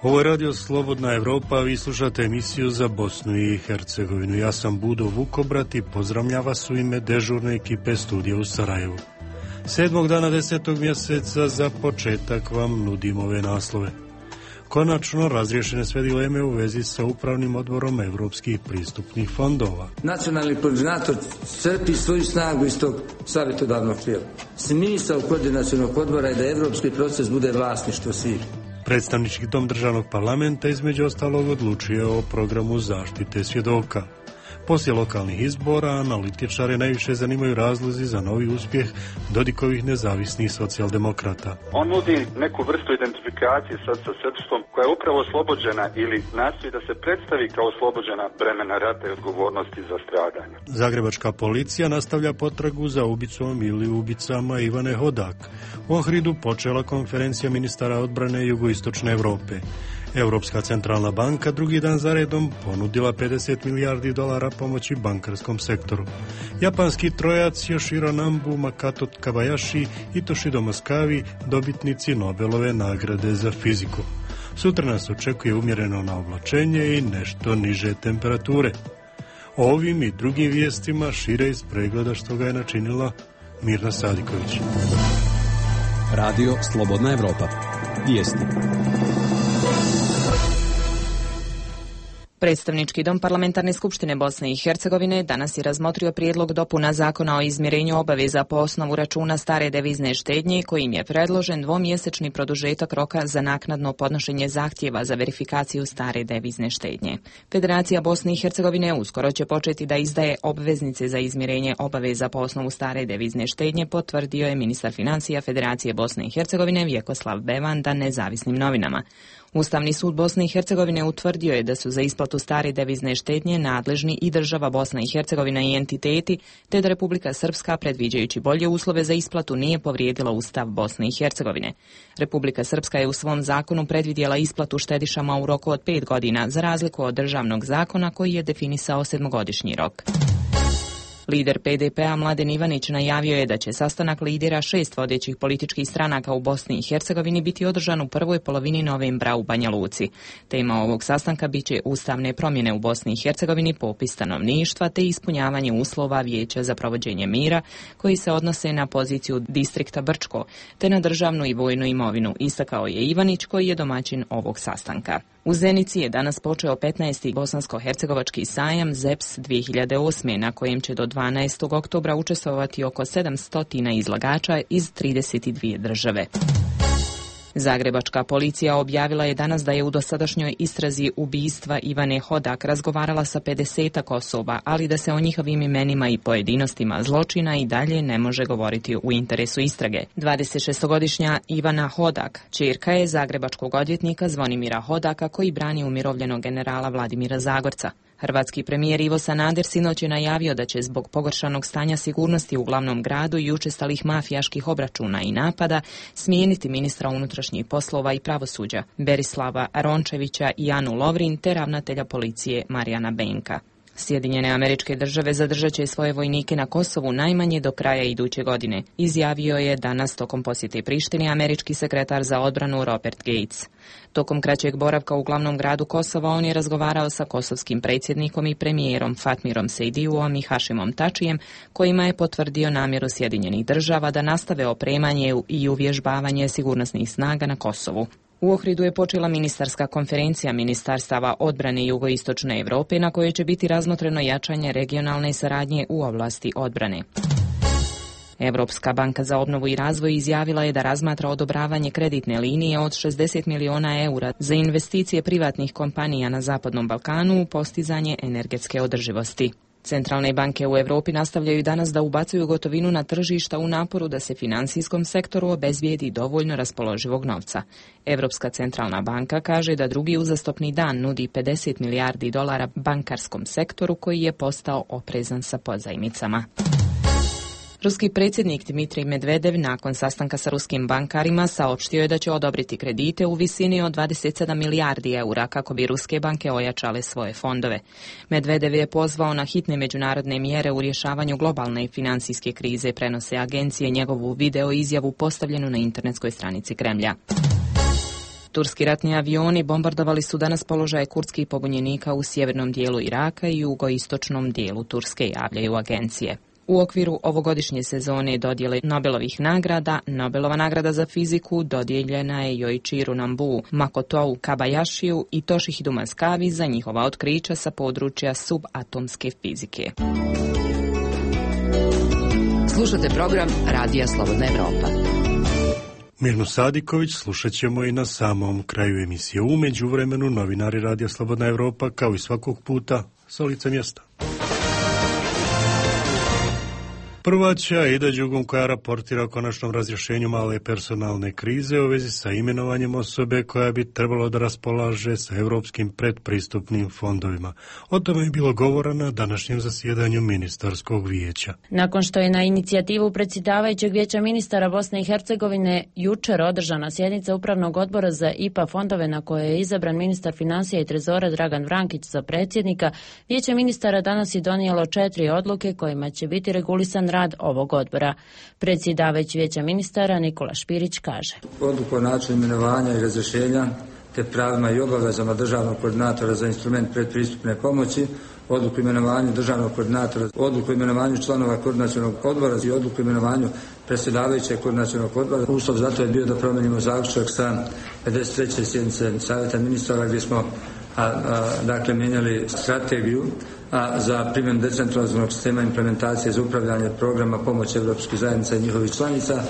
Ovo je Radio Slobodna Evropa, vi slušate emisiju za Bosnu i Hercegovinu. Ja sam Budo Vukobrat i pozdravljam vas u ime dežurne ekipe studija u Sarajevu. 7. dana 10. mjeseca za početak vam nudimo ove naslove. Konačno razriješene sve dileme u vezi sa upravnim odborom evropskih pristupnih fondova. Nacionalni koordinator crpi svoju snagu iz tog savjetodavnog tijela. Smisao koordinacionog odbora je da evropski proces bude vlasništvo svih. Predstavnički dom državnog parlamenta između ostalog odlučuje o programu zaštite svjedoka. Poslije lokalnih izbora analitičare najviše zanimaju razlozi za novi uspjeh Dodikovih nezavisnih socijaldemokrata. On nudi neku vrstu identifikacije sa srpstvom koja je upravo oslobođena ili nastoji da se predstavi kao oslobođena bremena rata i odgovornosti za stradanje. Zagrebačka policija nastavlja potragu za ubicom ili ubicama Ivane Hodak. U Ohridu počela konferencija ministara odbrane jugoistočne Europe. Europska centralna banka drugi dan za redom ponudila $50 milijardi pomoći bankarskom sektoru. Japanski trojac Yoshiro Nambu, Makoto Kobayashi i Toshido Moskavi dobitnici Nobelove nagrade za fiziku. Sutra nas očekuje umjereno na oblačenje i nešto niže temperature. O ovim i drugim vijestima šire iz pregleda što ga je načinila Mirna Sadiković. Radio Slobodna Evropa. Vijesti. Predstavnički dom Parlamentarne skupštine Bosne i Hercegovine danas je razmotrio prijedlog dopuna zakona o izmirenju obaveza po osnovu računa stare devizne štednje, kojim je predložen dvomjesečni produžetak roka za naknadno podnošenje zahtjeva za verifikaciju stare devizne štednje. Federacija Bosne i Hercegovine uskoro će početi da izdaje obveznice za izmirenje obaveza po osnovu stare devizne štednje, potvrdio je ministar financija Federacije Bosne i Hercegovine Vjekoslav Bevanda nezavisnim novinama. Ustavni sud Bosne i Hercegovine utvrdio je da su za isplatu stare devizne štednje nadležni i država Bosna i Hercegovina i entiteti, te da Republika Srpska, predviđajući bolje uslove za isplatu, nije povrijedila Ustav Bosne i Hercegovine. Republika Srpska je u svom zakonu predvidjela isplatu štedišama u roku od 5 godina, za razliku od državnog zakona koji je definisao 7-godišnji rok. Lider PDP-a Mladen Ivanić najavio je da će sastanak lidera 6 vodećih političkih stranaka u Bosni i Hercegovini biti održan u prvoj polovini novembra u Banja Luci. Tema ovog sastanka biće ustavne promjene u Bosni i Hercegovini, popis stanovništva te ispunjavanje uslova Vijeća za provođenje mira koji se odnose na poziciju distrikta Brčko te na državnu i vojnu imovinu, istakao je Ivanić koji je domaćin ovog sastanka. U Zenici je danas počeo 15. bosansko-hercegovački sajam ZEPS 2008. na kojem će do 12. oktobra učestvovati oko 700 izlagača iz 32 države. Zagrebačka policija objavila je danas da je u dosadašnjoj istrazi ubistva Ivane Hodak razgovarala sa 50 osoba, ali da se o njihovim imenima i pojedinostima zločina i dalje ne može govoriti u interesu istrage. 26-godišnja Ivana Hodak ćerka je zagrebačkog odvjetnika Zvonimira Hodaka koji brani umirovljenog generala Vladimira Zagorca. Hrvatski premijer Ivo Sanader sinoć je najavio da će zbog pogoršanog stanja sigurnosti u glavnom gradu i učestalih mafijaških obračuna i napada smijeniti ministra unutrašnjih poslova i pravosuđa Berislava Rončevića i Anu Lovrin te ravnatelja policije Marijana Benka. Sjedinjene Američke Države zadržat će svoje vojnike na Kosovu najmanje do kraja iduće godine, izjavio je danas tokom posjete Prištini američki sekretar za odbranu Robert Gates. Tokom kraćeg boravka u glavnom gradu Kosova on je razgovarao sa kosovskim predsjednikom i premijerom Fatmirom Sejdiuom i Hašimom Tačijem, kojima je potvrdio namjeru Sjedinjenih Država da nastave opremanje i uvježbavanje sigurnosnih snaga na Kosovu. U Ohridu je počela ministarska konferencija ministarstava odbrane jugoistočne Europe na kojoj će biti razmotreno jačanje regionalne saradnje u oblasti odbrane. Europska banka za obnovu i razvoj izjavila je da razmatra odobravanje kreditne linije od 60 milijuna eura za investicije privatnih kompanija na Zapadnom Balkanu u postizanje energetske održivosti. Centralne banke u Europi nastavljaju danas da ubacuju gotovinu na tržišta u naporu da se financijskom sektoru obezbijedi dovoljno raspoloživog novca. Europska centralna banka kaže da drugi uzastopni dan nudi 50 milijardi dolara bankarskom sektoru koji je postao oprezan sa pozajmicama. Ruski predsjednik Dmitrij Medvedev nakon sastanka sa ruskim bankarima saopštio je da će odobriti kredite u visini od 27 milijardi eura kako bi ruske banke ojačale svoje fondove. Medvedev je pozvao na hitne međunarodne mjere u rješavanju globalne financijske krize, prenose agencije njegovu video izjavu postavljenu na internetskoj stranici Kremlja. Turski ratni avioni bombardovali su danas položaje kurdskih pobunjenika u sjevernom dijelu Iraka i jugoistočnom dijelu Turske, javljaju agencije. U okviru ovogodišnje sezone dodjele Nobelovih nagrada, Nobelova nagrada za fiziku dodijeljena je Yoichiru Nambu, Makotou Kabayashiju i Toshihidu Maskavi za njihova otkrića sa područja subatomske fizike. Slušate program Radija Slobodna Evropa. Mirnu Sadiković slušat ćemo i na samom kraju emisije. U međuvremenu novinari Radija Slobodna Evropa, kao i svakog puta, sa lica mjesta. Prva će Aida Đugum, koja raportira o konačnom razrješenju male personalne krize u vezi sa imenovanjem osobe koja bi trebalo da raspolaže sa europskim predpristupnim fondovima. O tome je bilo govora na današnjem zasjedanju ministarskog vijeća. Nakon što je na inicijativu predsjedavajućeg vijeća ministara Bosne i Hercegovine jučer održana sjednica Upravnog odbora za IPA fondove na kojoj je izabran ministar financija i trezora Dragan Vrankić za predsjednika, vijeće ministara danas je donijelo 4 odluke kojima će biti regulisan rad ovog odbora. Predsjedavajući vijeća ministara Nikola Špirić kaže: Odluku o načinu imenovanja i razrješenja te pravima i obavezama državnog koordinatora za instrument predpristupne pomoći, odluku o imenovanju državnog koordinatora, odluku o imenovanju članova koordinacionog odbora i odluku o imenovanju predsjedavajućeg koordinacionog odbora. Uslov zato je bio da promijenimo zaključak sa 53. sjednice Savjeta ministara gdje smo mijenjali strategiju za primjenu decentralizovanog sistema implementacije za upravljanje programa pomoći Europskih zajednica i njihovih članica.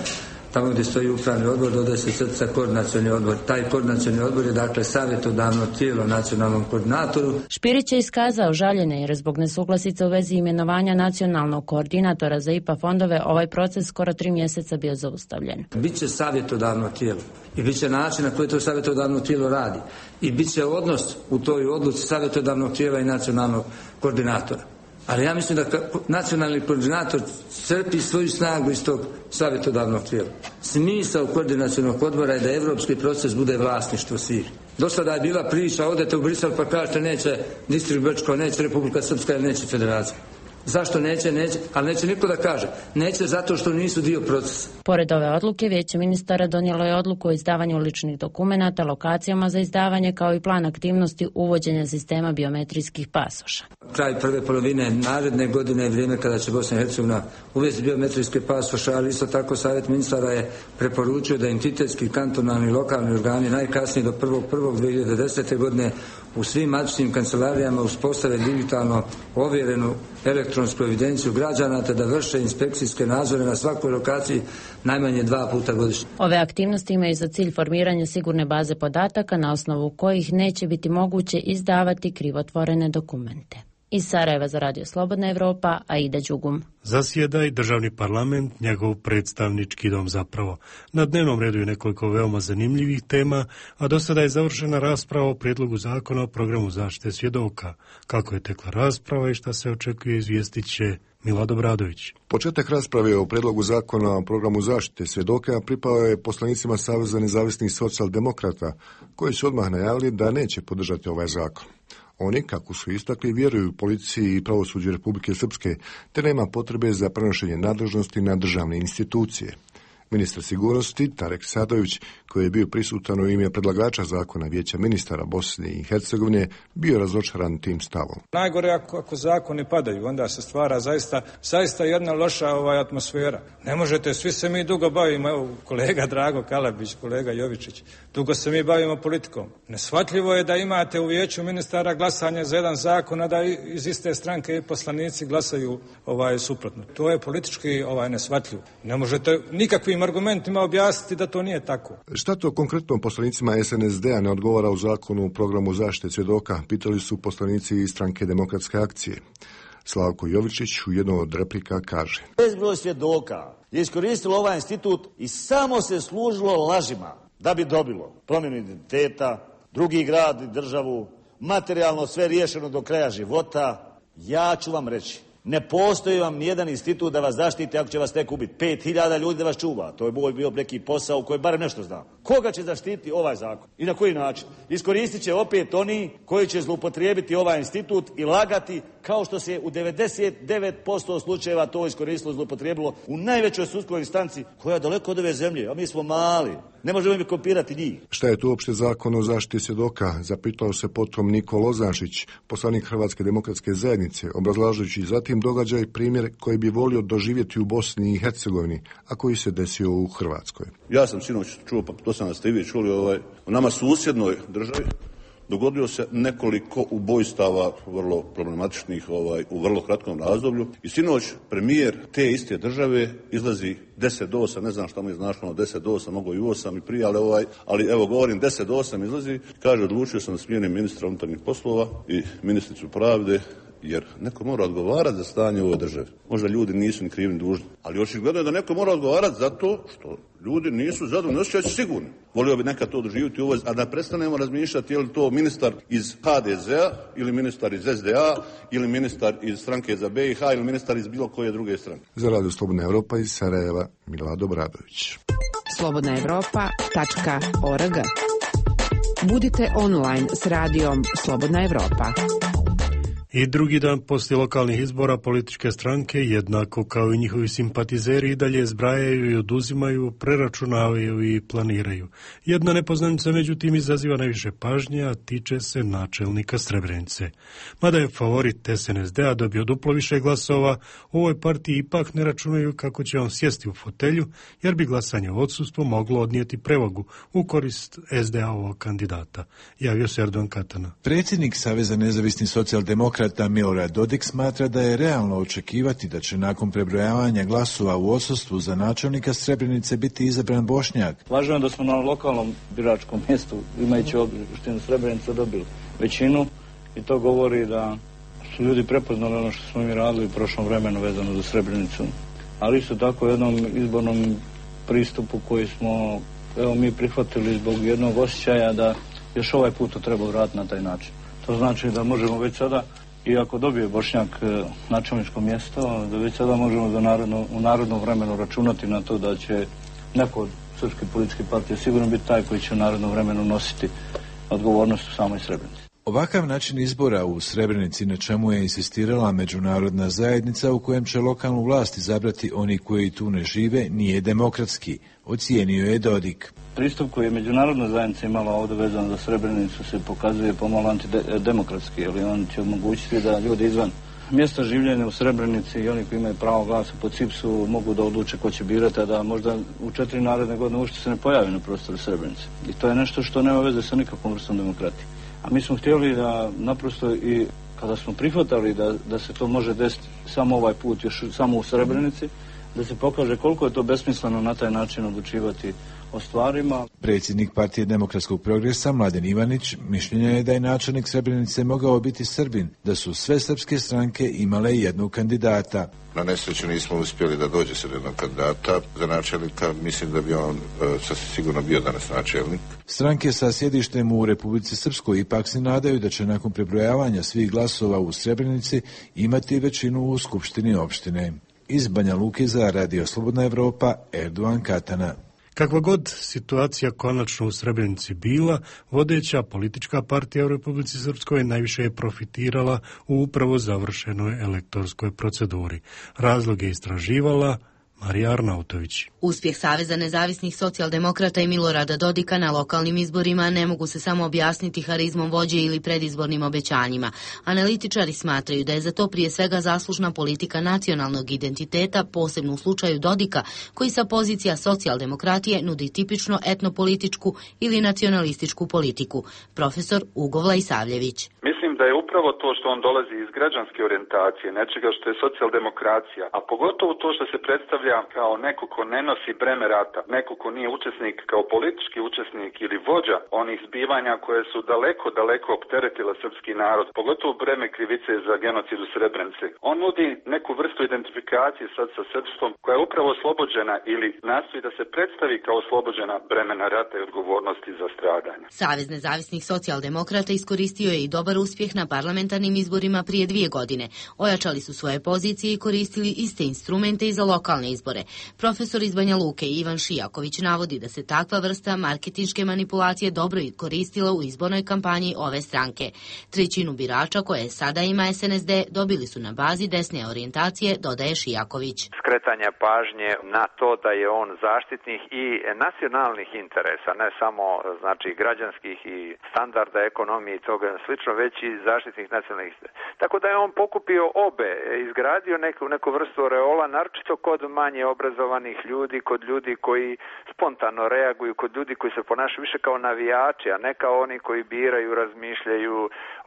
Tamo gdje stoji upravni odbor dodaje se crtica koordinacioni odbor. Taj koordinacioni odbor je dakle savjetodavno tijelo nacionalnom koordinatoru. Špirić je iskazao žaljenje jer zbog nesuglasice u vezi imenovanja nacionalnog koordinatora za IPA fondove ovaj proces skoro 3 mjeseca bio zaustavljen. Biće savjetodavno tijelo i bit će način na koji to savjetodavno tijelo radi i bit će odnos u toj odluci savjetodavnog tijela i nacionalnog koordinatora. Ali ja mislim da nacionalni koordinator crpi svoju snagu iz tog savjetodavnog tijela. Smisao koordinacionog odbora je da evropski proces bude vlasništvo svih. Do sada je bila priča, odete u Brisel pa kažete neće Distrikt Brčko, neće Republika Srpska ili neće Federacija. Zašto neće? Neće, ali neće niko da kaže. Neće zato što nisu dio procesa. Pored ove odluke, vijeće ministara donijelo je odluku o izdavanju ličnih dokumenata, lokacijama za izdavanje, kao i plan aktivnosti uvođenja sistema biometrijskih pasoša. Kraj prve polovine naredne godine je vrijeme kada će Bosna i Hercegovina uvesti biometrijske pasoše, ali isto tako Savjet ministara je preporučio da entitetski, kantonalni i lokalni organi najkasnije do 1.1.2010. godine u svim matičnim kancelarijama uspostave digitalno ovjerenu elektronsku evidenciju građana te da vrše inspekcijske nadzore na svakoj lokaciji najmanje 2 puta godišnje. Ove aktivnosti imaju za cilj formiranje sigurne baze podataka na osnovu kojih neće biti moguće izdavati krivotvorene dokumente. Iz Sarajeva za Radio Slobodna Evropa, Aida Đugum. Zasjeda i državni parlament, njegov predstavnički dom zapravo. Na dnevnom redu je nekoliko veoma zanimljivih tema, a do sada je završena rasprava o prijedlogu zakona o programu zaštite svjedoka. Kako je tekla rasprava i šta se očekuje, izvijestit će Milad Obradović. Početak rasprave o prijedlogu zakona o programu zaštite svjedoka pripao je poslanicima Saveza nezavisnih socijaldemokrata, koji su odmah najavili da neće podržati ovaj zakon. Oni, kako su istakli, vjeruju policiji i pravosuđu Republike Srpske, te nema potrebe za prenošenje nadležnosti na državne institucije. Ministar sigurnosti Tarek Sadović, koji je bio prisutan u ime predlagača zakona vijeća ministara Bosne i Hercegovine, bio razočaran tim stavom. Najgore ako zakoni padaju, onda se stvara zaista jedna loša atmosfera. Ne možete, svi se mi dugo bavimo, evo kolega Drago Kalabić, kolega Jovičić, dugo se mi bavimo politikom. Neshvatljivo je da imate u vijeću ministara glasanje za jedan zakon, a da iz iste stranke i poslanici glasaju suprotno. To je politički neshvatljivo. Ne možete nikakvim argumentima objasniti da to nije tako. Šta to konkretno poslanicima SNSD-a ne odgovara u zakonu o programu zaštite svjedoka, pitali su poslanici iz stranke Demokratske akcije. Slavko Jovičić u jednom od replika kaže: Bezbroj svjedoka je iskoristilo ovaj institut i samo se služilo lažima da bi dobilo promjenu identiteta, drugi grad i državu, materijalno sve riješeno do kraja života. Ja ću vam reći, ne postoji vam nijedan institut da vas zaštiti ako će vas tek ubiti. 5000 ljudi da vas čuva. To je bio neki posao u kojem barem nešto znam. Koga će zaštiti ovaj zakon i na koji način? Iskoristit će opet oni koji će zloupotrijebiti ovaj institut i lagati kao što se u 99% slučajeva to iskoristilo, zloupotrijebilo u najvećoj sudskoj instanci koja je daleko od ove zemlje, a mi smo mali. Ne možemo mi kopirati njih. Šta je to uopšte zakon o zaštiti svjedoka? Zapitao se potom Niko Lozančić, poslanik Hrvatske demokratske zajednice, obrazlažući zatim događaj primjer koji bi volio doživjeti u Bosni i Hercegovini, a koji se desio u Hrvatskoj. Ja sam sinoć čuo, pa to sam ste i vi čuli, u nama susjednoj državi dogodilo se nekoliko ubojstava vrlo problematičnih u vrlo kratkom razdoblju i sinoć premijer te iste države izlazi 10 do 8, ne znam šta mu je značilo 10 do 8, mogo i 8 i prije, ali evo govorim 10 do 8 izlazi, kaže odlučio sam da smijenim ministra unutarnjih poslova i ministricu pravde jer neko mora odgovarati za stanje u ovoj državi. Možda ljudi nisu ni krivi ni dužni, ali očigledno je da neko mora odgovarati zato što ljudi nisu zadovoljni, osjećaju se sigurni. Volio bi nekad to doživjeti u ovoj, a da prestanemo razmišljati je li to ministar iz HDZ-a ili ministar iz SDA ili ministar iz stranke za BiH ili ministar iz bilo koje druge stranke. Za Radio Slobodna Evropa iz Sarajeva, Milado Bradović. slobodnaevropa.org. Budite online s radijom Slobodna Evropa. I drugi dan poslije lokalnih izbora političke stranke, jednako kao i njihovi simpatizeri, i dalje zbrajaju i oduzimaju, preračunavaju i planiraju. Jedna nepoznanica međutim izaziva najviše pažnje, a tiče se načelnika Srebrenice. Mada je favorit SNSD-a dobio duplo više glasova, u ovoj partiji ipak ne računaju kako će on sjesti u fotelju, jer bi glasanje u odsustvu moglo odnijeti prevagu u korist SDA-ovog kandidata. Javio se Erdogan Katana. Predsjednik Saveza nezavisnih socijaldemokrata Milorad Dodik smatra da je realno očekivati da će nakon prebrojavanja glasova u odsustvu za načelnika Srebrenice biti izabran Bošnjak. Važno je da smo na lokalnom biračkom mjestu, imajući opštinu Srebrenica, dobili većinu i to govori da su ljudi prepoznali ono što smo mi radili u prošlom vremenu vezano za Srebrenicu. Ali isto tako jednom izbornom pristupu koji smo mi prihvatili zbog jednog osjećaja da još ovaj put to treba uraditi na taj način. To znači da možemo već sada, i ako dobije Bošnjak načelničko mjesto, da već sada možemo u narodnom vremenu računati na to da će neko od srpskih političkih partija sigurno biti taj koji će u narodnom vremenu nositi odgovornost u samoj Srebrenici. Ovakav način izbora u Srebrenici, na čemu je insistirala međunarodna zajednica, u kojem će lokalnu vlast izabrati oni koji tu ne žive, nije demokratski, ocijenio je Dodik. Pristup koji je međunarodna zajednica imala ovdje vezan za Srebrenicu se pokazuje pomalo antidemokratski, jer on će omogućiti da ljudi izvan mjesta življenja u Srebrenici i oni koji imaju pravo glasa po CIPS-u mogu da odluče ko će birati, a da možda u 4 naredne godine uopšte se ne pojavi na prostoru Srebrenice. I to je nešto što nema veze sa nikakvom vrstom demokratije. A mi smo htjeli da naprosto i kada smo prihvatali da se to može desiti samo ovaj put, još samo u Srebrenici, da se pokaže koliko je to besmisleno na taj način odlučivati o stvarima. Predsjednik Partije demokratskog progresa Mladen Ivanić mišljenja je da je načelnik Srebrenice mogao biti Srbin, da su sve srpske stranke imale jednog kandidata. Na nesreću nismo uspjeli da dođe se jednog kandidata za načelnika, mislim da bi on sasvim sigurno bio danas načelnik. Stranke sa sjedištem u Republici Srpskoj ipak se nadaju da će nakon prebrojavanja svih glasova u Srebrenici imati većinu u Skupštini opštine. Iz Banja Luke za Radio Slobodna Evropa, Erdogan Katana. Kakva god situacija konačno u Srebrenici bila, vodeća politička partija u Republici Srpskoj najviše je profitirala u upravo završenoj elektorskoj proceduri. Razlog je istraživala Marija Arnautović. Uspjeh Saveza nezavisnih socijaldemokrata i Milorada Dodika na lokalnim izborima ne mogu se samo objasniti harizmom vođe ili predizbornim obećanjima. Analitičari smatraju da je za to prije svega zaslužna politika nacionalnog identiteta, posebno u slučaju Dodika, koji sa pozicija socijaldemokratije nudi tipično etnopolitičku ili nacionalističku politiku. Profesor Ugo Vlajsavljević. Mislim da je upravo to što on dolazi iz građanske orijentacije, nečega što je socijaldemokracija, a pogotovo to što se predstavlja kao neko ko ne nosi breme rata, neko ko nije učesnik kao politički učesnik ili vođa onih zbivanja koje su daleko opteretile srpski narod, pogotovo breme krivice za genocid u Srebrenici. On nudi neku vrstu identifikacije sad sa srpstvom koja je upravo oslobođena ili nastoji da se predstavi kao oslobođena bremena rata i odgovornosti za stradanja. Savez nezavisnih socijaldemokrata iskoristio je i dobar uspjeh uspjeh na parlamentarnim izborima prije 2 godine. Ojačali su svoje pozicije i koristili iste instrumente i za lokalne izbore. Profesor iz Banja Luke Ivan Šijaković navodi da se takva vrsta marketinške manipulacije dobro koristila u izbornoj kampanji ove stranke. 1/3 birača koje sada ima SNSD dobili su na bazi desne orijentacije, dodaje Šijaković. Skretanje pažnje na to da je on zaštitnik i nacionalnih interesa, ne samo znači građanskih i standarda ekonomije i toga slično, već i zaštitnih nacionalnih interesa. Tako da je on pokupio obe, izgradio neku vrstu oreola, naročito kod manje obrazovanih ljudi, kod ljudi koji spontano reaguju, kod ljudi koji se ponašaju više kao navijači, a ne kao oni koji biraju, razmišljaju,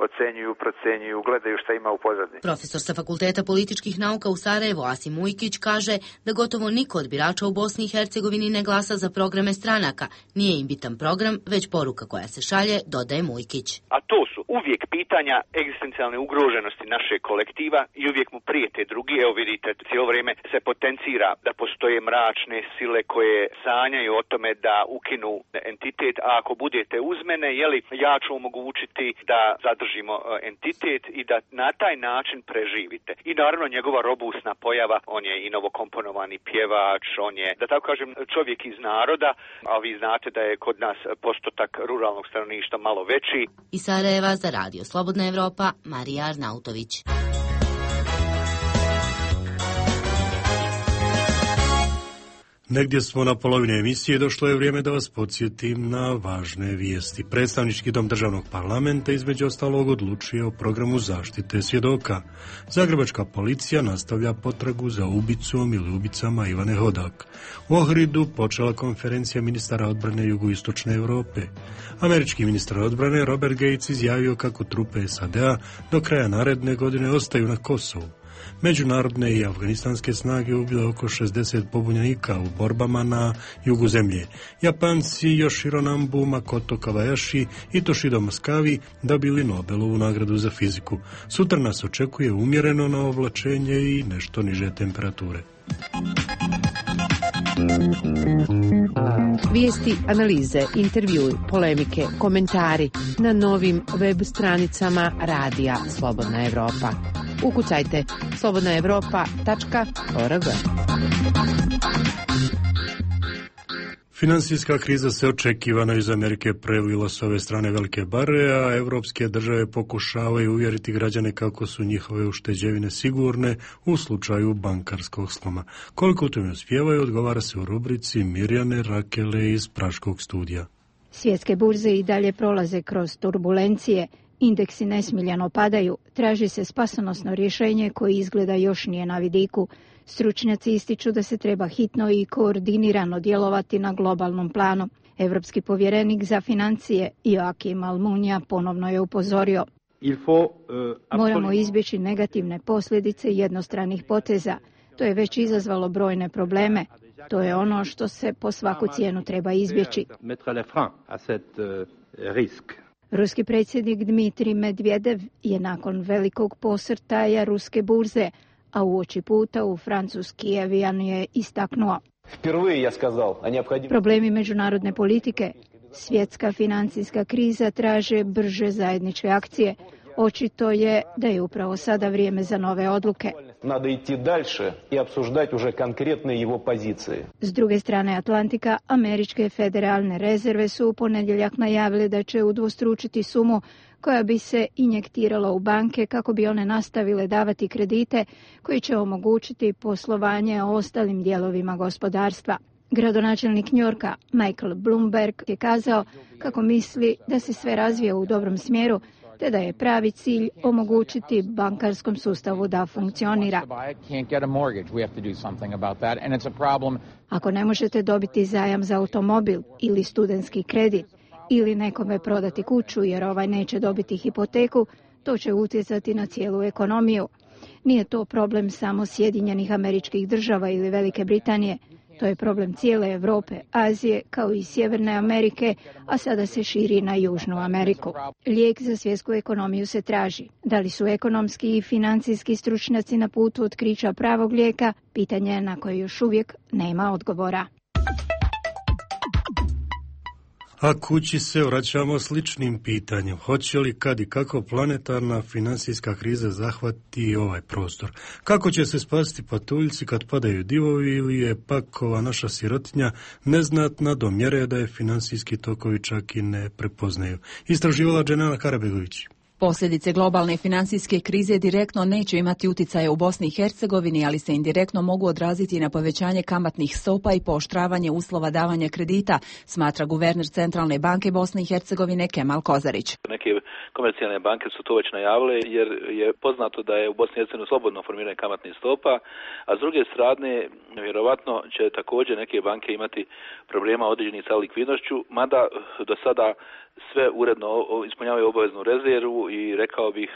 ocenjuju, procenjuju, gledaju šta ima u pozadini. Profesor sa Fakulteta političkih nauka u Sarajevu Asim Ujkić kaže da gotovo niko od birača u Bosni i Hercegovini ne glasa za programe stranaka. Nije im bitan program, već poruka koja se šalje, dodaje Mujkić. A to su uvijek pitanja egzistencijalne ugroženosti našeg kolektiva i uvijek mu prijete drugi. Evo vidite, cijelo vrijeme se potencira da postoje mračne sile koje sanjaju o tome da ukinu entitet, a ako budete uz mene, ja ću omogućiti da zadržimo entitet i da na taj način preživite. I naravno njegova robusna pojava, on je i novokomponovani pjevač, on je, da tako kažem, čovjek iz naroda, a vi znate da je kod nas postotak ruralnog stanovništva malo veći. Iz Sarajeva za Radio Slobodna Evropa, Marija Arnautović. Negdje smo na polovini emisije, došlo je vrijeme da vas podsjetim na važne vijesti. Predstavnički dom državnog parlamenta između ostalog odlučio o programu zaštite svjedoka. Zagrebačka policija nastavlja potragu za ubicom ili ubicama Ivane Hodak. U Ohridu počela konferencija ministara odbrane jugoistočne Europe. Američki ministar odbrane Robert Gates izjavio kako trupe SAD-a do kraja naredne godine ostaju na Kosovu. Međunarodne i afganistanske snage ubile oko 60 pobunjenika u borbama na jugu zemlje. Japanci Yoshiro Nambu, Makoto Kawayashi i Toshido Moskavi dobili Nobelovu nagradu za fiziku. Sutra nas očekuje umjereno na oblačenje i nešto niže temperature. Vijesti, analize, intervjui, polemike, komentari na novim web stranicama Radija Slobodna Evropa. Ukucajte slobodnaevropa.org. Finansijska kriza se očekivano iz Amerike prelila s ove strane velike bare, a evropske države pokušavaju uvjeriti građane kako su njihove ušteđevine sigurne u slučaju bankarskog sloma. Koliko u tome uspijevaju, odgovara se u rubrici Mirjane Rakele iz Praškog studija. Svjetske burze i dalje prolaze kroz turbulencije. Indeksi nesmiljeno padaju, traži se spasonosno rješenje koje izgleda još nije na vidiku. Stručnjaci ističu da se treba hitno i koordinirano djelovati na globalnom planu. Evropski povjerenik za financije Joakim Almunia ponovno je upozorio. Moramo izbjeći negativne posljedice jednostranih poteza. To je već izazvalo brojne probleme. To je ono što se po svaku cijenu treba izbjeći. Ruski predsjednik Dmitrij Medvedev je nakon velikog posrtaja ruske burze, a uoči puta u francuski avion je istaknuo. Problemi međunarodne politike, svjetska financijska kriza traže brže zajedničke akcije. Očito je da je upravo sada vrijeme za nove odluke. S druge strane Atlantika, američke federalne rezerve su u ponedjeljak najavile da će udvostručiti sumu koja bi se injektirala u banke kako bi one nastavile davati kredite koji će omogućiti poslovanje ostalim dijelovima gospodarstva. Gradonačelnik Njujorka Michael Bloomberg je kazao kako misli da se sve razvija u dobrom smjeru, te da je pravi cilj omogućiti bankarskom sustavu da funkcionira. Ako ne možete dobiti zajam za automobil ili studentski kredit ili nekome prodati kuću jer ovaj neće dobiti hipoteku, to će utjecati na cijelu ekonomiju. Nije to problem samo Sjedinjenih Američkih Država ili Velike Britanije. To je problem cijele Europe, Azije, kao i Sjeverne Amerike, a sada se širi na Južnu Ameriku. Lijek za svjetsku ekonomiju se traži. Da li su ekonomski i financijski stručnjaci na putu otkrića pravog lijeka? Pitanje je na koje još uvijek nema odgovora. A kući se vraćamo sličnim pitanjem. Hoće li, kad i kako planetarna financijska kriza zahvati ovaj prostor? Kako će se spasiti patuljci kad padaju divovi ili je pak ova naša sirotinja neznatna do mjere da je financijski tokovi čak i ne prepoznaju? Istraživala Dženana Karabegović. Posljedice globalne financijske krize direktno neće imati uticaje u Bosni i Hercegovini, ali se indirektno mogu odraziti na povećanje kamatnih stopa i pooštravanje uslova davanja kredita, smatra guverner Centralne banke Bosne i Hercegovine Kemal Kozarić. Neke komercijalne banke su to već najavile jer je poznato da je u Bosni i Hercegovini slobodno formiranje kamatnih stopa, a s druge strane vjerovatno će također neke banke imati problema određenih sa likvidnošću, mada do sada sve uredno ispunjavaju obaveznu rezervu i rekao bih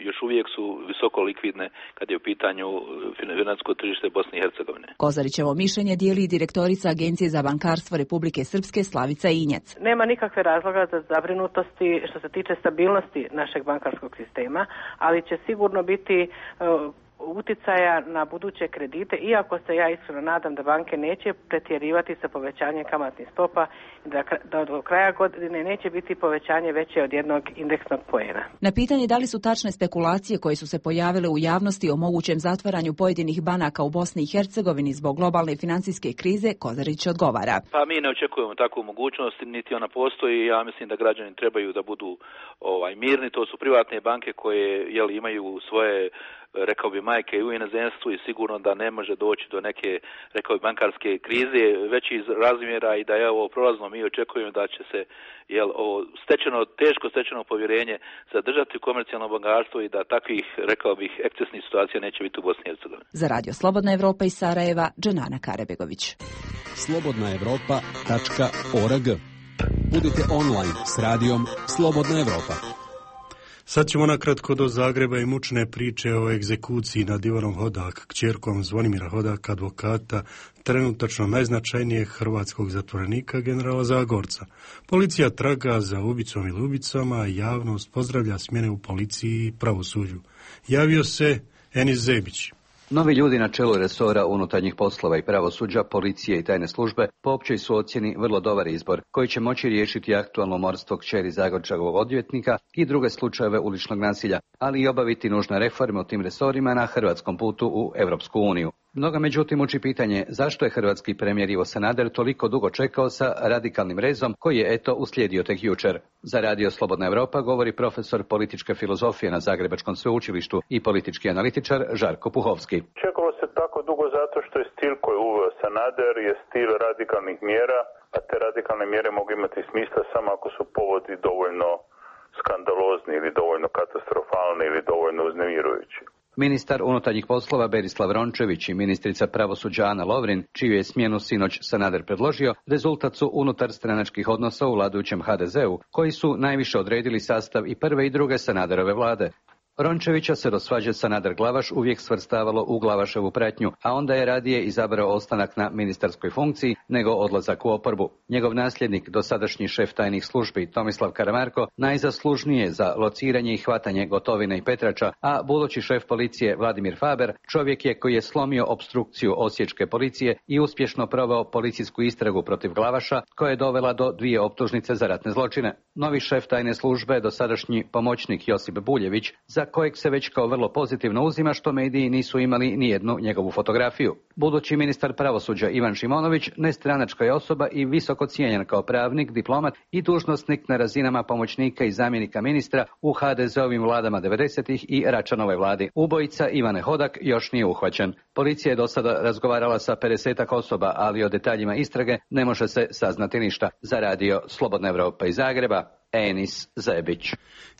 još uvijek su visoko likvidne kad je u pitanju financijsko tržište Bosne i Hercegovine. Kozarićevo mišljenje dijeli direktorica Agencije za bankarstvo Republike Srpske Slavica Injec. Nema nikakve razloga za zabrinutosti što se tiče stabilnosti našeg bankarskog sistema, ali će sigurno biti uticaja na buduće kredite, iako se ja iskreno nadam da banke neće pretjerivati sa povećanjem kamatnih stopa i da do kraja godine neće biti povećanje veće od jednog indeksnog poena. Na pitanje da li su tačne spekulacije koje su se pojavile u javnosti o mogućem zatvaranju pojedinih banaka u Bosni i Hercegovini zbog globalne financijske krize, Kozarić odgovara. Pa mi ne očekujemo takvu mogućnost, niti ona postoji. Ja mislim da građani trebaju da budu mirni. To su privatne banke koje imaju svoje, rekao bi, majke u inozemstvu i sigurno da ne može doći do neke, rekao bi, bankarske krize već iz razmjera i da je ovo prolazno. Mi očekujemo da će se ovo teško stečeno povjerenje zadržati u komercijalno bankarstvo i da takvih, rekao bih, ekscesnih situacija neće biti u Bosni i Hercegovini. Za Radio Slobodna Evropa iz Sarajeva, Dženana Karebegović. slobodnaevropa.org. Budite online s radijom Slobodna Evropa. Sad ćemo nakratko do Zagreba i mučne priče o egzekuciji nad Ivanom Hodak, kćerkom Zvonimira Hodaka, advokata, trenutačno najznačajnijeg hrvatskog zatvorenika, generala Zagorca. Policija traga za ubicom ili ubicama, a javnost pozdravlja smjene u policiji i pravosuđu. Javio se Enis Zebić. Novi ljudi na čelu resora unutarnjih poslova i pravosuđa, policije i tajne službe po općoj su ocjeni vrlo dobar izbor, koji će moći riješiti aktualno umorstvo kćeri Zagorčevog odvjetnika i druge slučajeve uličnog nasilja, ali i obaviti nužne reforme u tim resorima na hrvatskom putu u Europsku uniju. Mnoga međutim uči pitanje zašto je hrvatski premijer Ivo Sanader toliko dugo čekao sa radikalnim rezom koji je uslijedio tek jučer. Za Radio Slobodna Evropa govori profesor političke filozofije na Zagrebačkom sveučilištu i politički analitičar Žarko Puhovski. Čekalo se tako dugo zato što je stil koji je uveo Sanader je stil radikalnih mjera, a te radikalne mjere mogu imati smisla samo ako su povodi dovoljno skandalozni ili dovoljno katastrofalni ili dovoljno uznemirujući. Ministar unutarnjih poslova Berislav Rončević i ministrica pravosuđa Ana Lovrin, čiju je smjenu sinoć Sanader predložio, rezultat su unutar stranačkih odnosa u vladajućem HDZ-u, koji su najviše odredili sastav i prve i druge Sanaderove vlade. Rončevića se do svađe Sanader-Glavaš uvijek svrstavalo u Glavaševu pratnju, a onda je radije izabrao ostanak na ministarskoj funkciji nego odlazak u oporbu. Njegov nasljednik, dosadašnji šef tajnih službi Tomislav Karamarko, najzaslužnije za lociranje i hvatanje Gotovine i Petrača, a budući šef policije Vladimir Faber čovjek je koji je slomio opstrukciju osječke policije i uspješno proveo policijsku istragu protiv Glavaša, koja je dovela do 2 optužnice za ratne zločine. Novi šef tajne službe, dosadašnji pomoćnik Josip Buljević, za kojeg se već kao vrlo pozitivno uzima što mediji nisu imali ni jednu njegovu fotografiju. Budući ministar pravosuđa Ivan Šimonović nestranačka je osoba i visoko cijenjen kao pravnik, diplomat i dužnosnik na razinama pomoćnika i zamjenika ministra u HDZ-ovim vladama 90-ih i Račanovoj vladi. Ubojica Ivane Hodak još nije uhvaćen. Policija je do sada razgovarala sa 50-ak osoba, ali o detaljima istrage ne može se saznati ništa. Za Radio Slobodna Evropa iz Zagreba, Enis Zebić.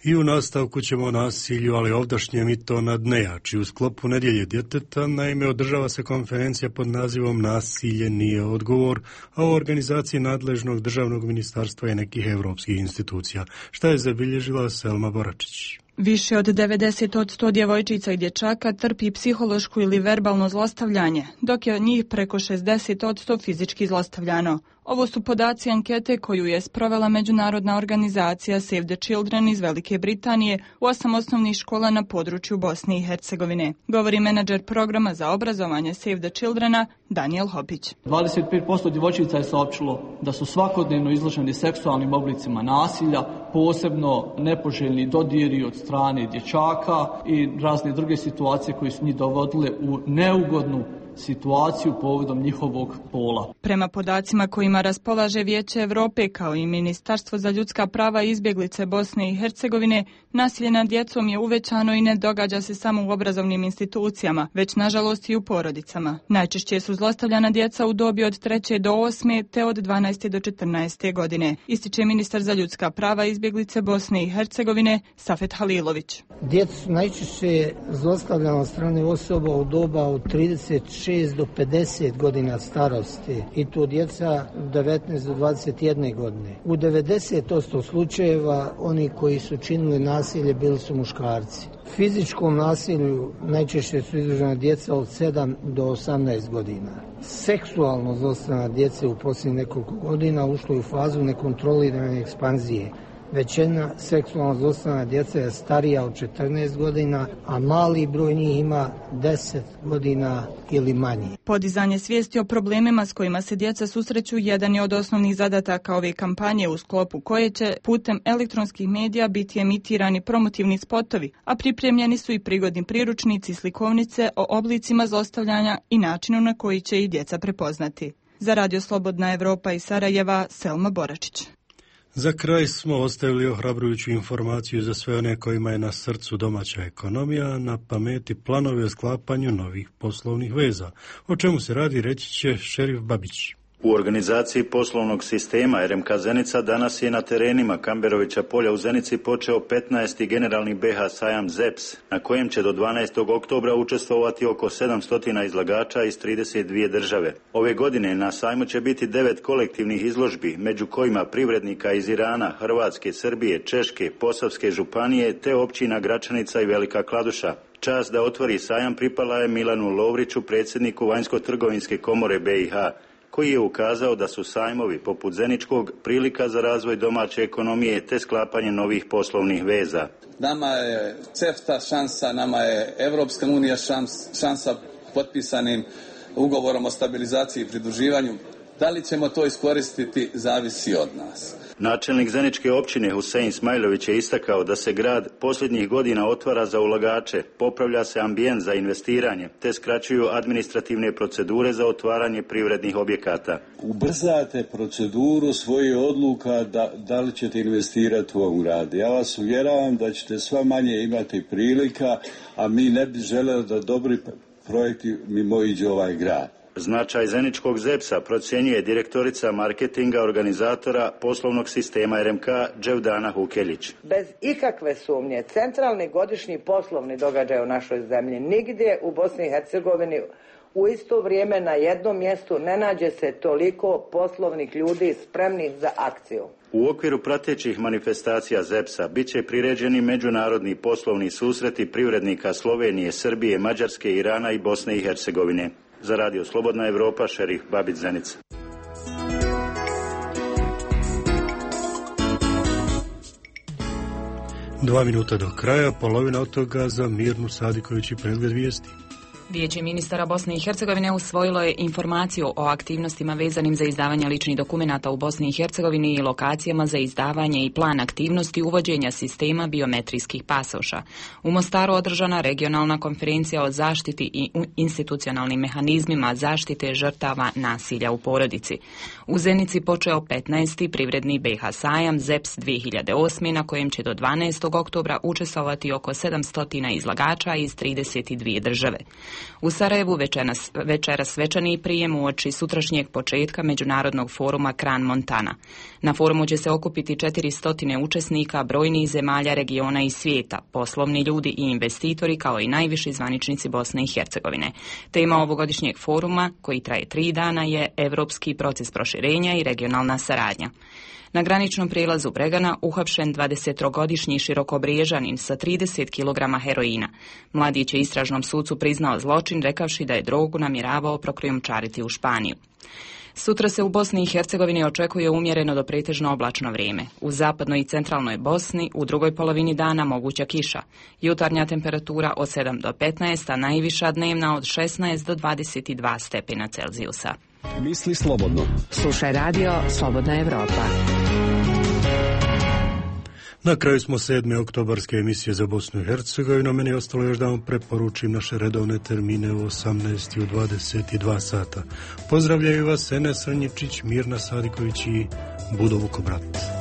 I u nastavku ćemo o nasilju, ali ovdašnjem i to nad nejači. U sklopu Nedjelje djeteta, naime, održava se konferencija pod nazivom Nasilje nije odgovor, a u organizaciji nadležnog državnog ministarstva i nekih europskih institucija. Šta je zabilježila Selma Boračić? Više od 90% djevojčica i dječaka trpi psihološko ili verbalno zlostavljanje, dok je od njih preko 60% fizički zlostavljano. Ovo su podaci ankete koju je sprovela međunarodna organizacija Save the Children iz Velike Britanije u 8 osnovnih škola na području Bosne i Hercegovine. Govori menadžer programa za obrazovanje Save the Childrena Daniel Hopić. 25% djevojčica je saopćilo da su svakodnevno izloženi seksualnim oblicima nasilja, posebno nepoželjni dodiri od strane dječaka i razne druge situacije koje su njih dovodile u neugodnu situaciju povodom njihovog pola. Prema podacima kojima raspolaže Vijeće Europe kao i Ministarstvo za ljudska prava i izbjeglice Bosne i Hercegovine, nasilje nad djecom je uvećano i ne događa se samo u obrazovnim institucijama, već nažalost i u porodicama. Najčešće su zlostavljana djeca u dobi od 3. do 8. te od 12. do 14. godine, ističe ministar za ljudska prava i izbjeglice Bosne i Hercegovine Safet Halilović. Djeca su najčešće zlostavljana od strane osoba u doba od 36 do 50 godina starosti i to djeca 19 do 21 godine. U 90% slučajeva oni koji su činili nasilje bili su muškarci. Fizičkom nasilju najčešće su izložena djeca od 7 do 18 godina. Seksualno zlostavljana djece u posljednjih nekoliko godina ušlo je u fazu nekontrolirane ekspanzije. Većina seksualno zlostavljana djeca je starija od 14 godina, a mali broj njih ima 10 godina ili manje. Podizanje svijesti o problemima s kojima se djeca susreću jedan je od osnovnih zadataka ove kampanje u sklopu koje će putem elektronskih medija biti emitirani promotivni spotovi, a pripremljeni su i prigodni priručnici i slikovnice o oblicima zlostavljanja i načinu na koji će ih djeca prepoznati. Za Radio Slobodna Evropa iz Sarajeva, Selma Boračić. Za kraj smo ostavili ohrabrujuću informaciju za sve one kojima je na srcu domaća ekonomija, na pameti planovi o sklapanju novih poslovnih veza. O čemu se radi, reći će šerif Babić. U organizaciji poslovnog sistema RMK Zenica danas je na terenima Kamberovića polja u Zenici počeo 15. generalni BH sajam ZEPS, na kojem će do 12. oktobra učestvovati oko 700 izlagača iz 32 države. Ove godine na sajmu će biti 9 kolektivnih izložbi, među kojima privrednika iz Irana, Hrvatske, Srbije, Češke, Posavske županije te općina Gračanica i Velika Kladuša. Čast da otvori sajam pripala je Milanu Lovriću, predsjedniku Vanjsko-trgovinske komore BiH, koji je ukazao da su sajmovi poput Zeničkog prilika za razvoj domaće ekonomije te sklapanje novih poslovnih veza. Nama je CEFTA šansa, nama je Evropska unija šansa potpisanim ugovorom o stabilizaciji i pridruživanju. Da li ćemo to iskoristiti, zavisi od nas. Načelnik Zeničke općine Husein Smajlović je istakao da se grad posljednjih godina otvara za ulagače, popravlja se ambijent za investiranje, te skraćuju administrativne procedure za otvaranje privrednih objekata. Ubrzate proceduru svojih odluka da li ćete investirati u ovom gradu. Ja vas uvjeravam da ćete sve manje imati prilika, a mi ne bi želeli da dobri projekti mimoiđu ovaj grad. Značaj Zeničkog ZEPS-a procjenjuje direktorica marketinga organizatora poslovnog sistema RMK Dževdana Hukeljić. Bez ikakve sumnje, centralni godišnji poslovni događaj u našoj zemlji nigdje u Bosni i Hercegovini u isto vrijeme na jednom mjestu ne nađe se toliko poslovnih ljudi spremnih za akciju. U okviru pratećih manifestacija ZEPS-a bit će priređeni međunarodni poslovni susreti privrednika Slovenije, Srbije, Mađarske, Irana i Bosne i Hercegovine. Za Radio Slobodna Evropa, šerif Babić Zenica. Dva minuta do kraja, polovina od toga za Mirnu Sadiković i pregled vijesti. Vijeće ministara Bosne i Hercegovine usvojilo je informaciju o aktivnostima vezanim za izdavanje ličnih dokumenata u Bosni i Hercegovini i lokacijama za izdavanje i plan aktivnosti uvođenja sistema biometrijskih pasoša. U Mostaru održana regionalna konferencija o zaštiti i institucionalnim mehanizmima zaštite žrtava nasilja u porodici. U Zenici počeo 15. privredni BH sajam ZEPS 2008. na kojem će do 12. oktobra učestvovati oko 700 izlagača iz 32 države. U Sarajevu večeras svečani prijem uoči sutrašnjeg početka međunarodnog foruma Kran Montana. Na forumu će se okupiti 400 učesnika brojnih zemalja, regiona i svijeta, poslovni ljudi i investitori kao i najviši zvaničnici Bosne i Hercegovine. Tema ovogodišnjeg foruma, koji traje 3 dana, je Evropski proces proširenja i regionalna saradnja. Na graničnom prijelazu Bregana uhapšen 23-godišnji Širokobriježanin sa 30 kg heroina. Mladić je istražnom sucu priznao zločin rekavši da je drogu namjeravao prokrijumčariti u Španiju. Sutra se u Bosni i Hercegovini očekuje umjereno do pretežno oblačno vrijeme. U zapadnoj i centralnoj Bosni u drugoj polovini dana moguća kiša. Jutarnja temperatura od 7 do 15, a najviša dnevna od 16 do 22 stepena Celzijusa. Misli slobodno. Slušaj radio Slobodna Evropa. Na kraju smo 7. oktobarske emisije za Bosnu i Hercegovinu. Meni je ostalo još da vam preporučim naše redovne termine u 18 i u 22 sata. Pozdravljaju vas Enes Ranjičić, Mirna Sadiković i Budo Vukobrat.